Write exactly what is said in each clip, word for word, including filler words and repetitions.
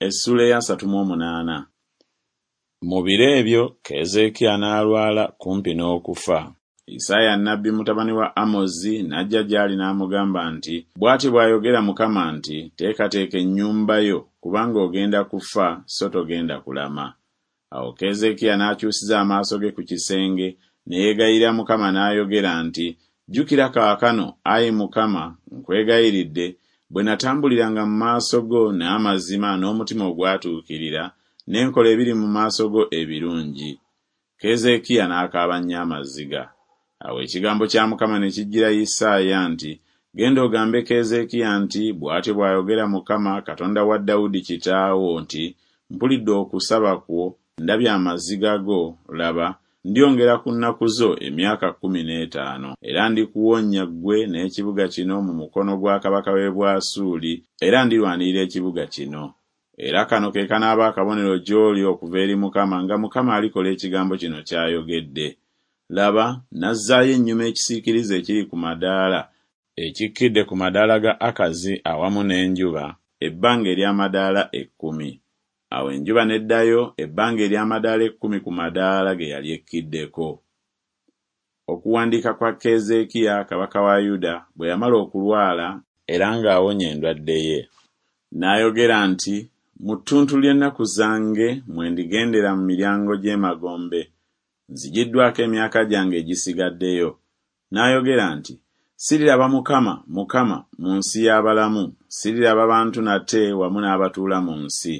Essuula ey'asatu mu omunaana. Mu biro ebyo Keezeekiya n'alwala kumpi n'okufa. Isaaya nnabbi mutabani wa Amozi n'ajja gy'ali n'amugamba nti, Bw'atyo bw'ayogera Mukama nti, Teekateeka ennyumba yo, kubanga ogenda kufa so togenda kulama. Awo Keezeekiya n'akyusiza amaaso ge ku kisenge, ne yeegayirira Mukama n'ayogera nti, Jjukira kaakano, ayi Mukama, nkwegayiridde, bwe natambuliranga mu maaso go n'amazima n'omutima ogwatuukirira, ne nkola ebiri mu maaso go ebirungi. Keezeekiya n'akaaba nnyo amaziga. Awo ekigambo kya Mukama ne kijjira Isaaya nti, Genda ogambe Keezeekiya nti, Bw'atyo bw'ayogera Mukama, Katonda wa Dawudi kitaawo nti, Mpulidde okusaba kwo, ndabye amaziga go, laba, ndyongera ku nnaku zo emyaka kkumi n'etaano. Era ndikuwonya ggwe n'ekibuga kino mu mukono gwa kabaka w'e Bwasuuli, era ndirwanirira ekibuga kino. Era kano ke kanaaba akabonero gy'oli okuva eri Mukama, nga Mukama alikola ekigambo kino ky'ayogedde. Laba, nazzaayo ennyuma ekisiikirize ekiri ku madaala, ekikkidde ku madaala ga Akazi awamu n'enjuba, ebbanga ery'amadaala ekkumi. Awo enjuba n'eddayo ebbanga ery'amadaala ekkumi ku madaala ge yali ekkiddeko. Okuwandiika kwa Keezeekiya kabaka wa Yuda bwe yamala okulwala era ng'awonye endwadde ye. N'ayogera nti, Mu ttuntu ly'ennaku zange mwe ndigendera mu miryango gy'emagombe, nzigiddwako emyaka gyange egisigaddeyo. N'ayogera nti, Siriraba Mukama, Mukama, mu nsi y'abalamu, siriraba bantu nate wamu n'abatuula mu nsi.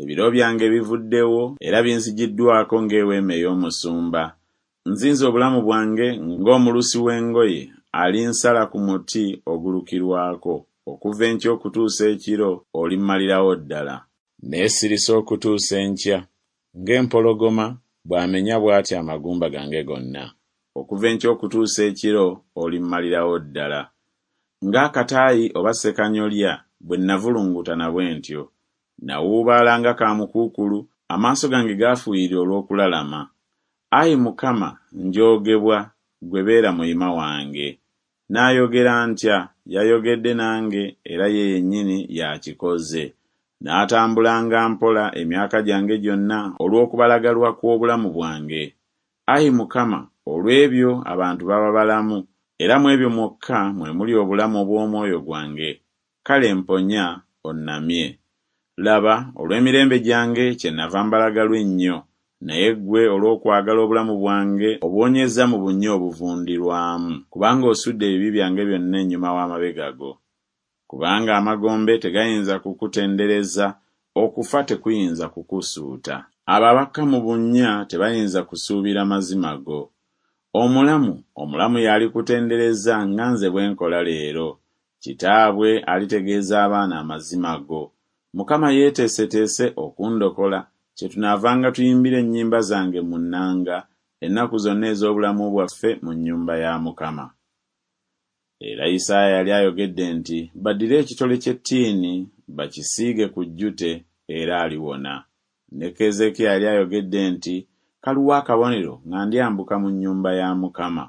Ebiro byange bivuddewo era binzigiddwako ng'eweema ey'omusumba. Nzinze obulamu bwange ng'omulusi w'engoye alinsala ku muti ogulukirwako, okuva enkya okutuusa ekiro olimmalirawo ddala. Neesirisa okutuusa enkya, ng'empologoma bw'amenya bw'atyo amagumba gange gonna. Okuva enkya okutuusa ekiro olimmalirawo ddala. Ng'akataayi oba ssekanyolya bwe nnavulungutana bwe ntyo. Nawuubaala nga kaamukuukulu, amaaso gange gaafuuyirira olw'okulalama. Ayi Mukama, njoogebwa, ggwe beera muyima wange. Naayogera ntya? Yayogedde nange, era ye yennyini y'akikoze. Naatambulanga mpola emyaka gyange gyonna olw'okubalagalwa kw'obulamu bwange. Ayi Mukama, olw'ebyo abantu baba balamu, era mu ebyo mwokka mwe muli obulamu obw'omwoyo gwange. Kale mponya, onnamye. Laba, olw'emirembe gyange kyennava mbalagalwa ennyo, naye ggwe olw'okwagala obulamu bwange obuwonyezza mu bunnya obuvundirwamu, kubanga osudde ebibi byange byonna ennyuma w'amabega go. Kubanga amagombe tegayinza kukutendereza, okufa tekuyinza kukusuuta. Abo abakka mu bunnya tebayinza kusuubira mazima go. Omulamu, omulamu y'alikutendereza nga nze bwe nkola leero. Kitaabwe alitegeeza abaana amazima go. Mukama yeeteeseteese okundokola, kyetunaavanga tuyimbira ennyimba zange mu nnanga ennaku zonna ez'obulamu bwaffe mu nnyumba ya Mukama. Era Isaaya yali ayogedde nti, Baddire ekitole ky'ettiini bakisiige ku jjute, era aliwona. Ne Keezeekiya yali ayogedde nti, Kaluwa akabonero nga ndyambuka mu nnyumba ya Mukama.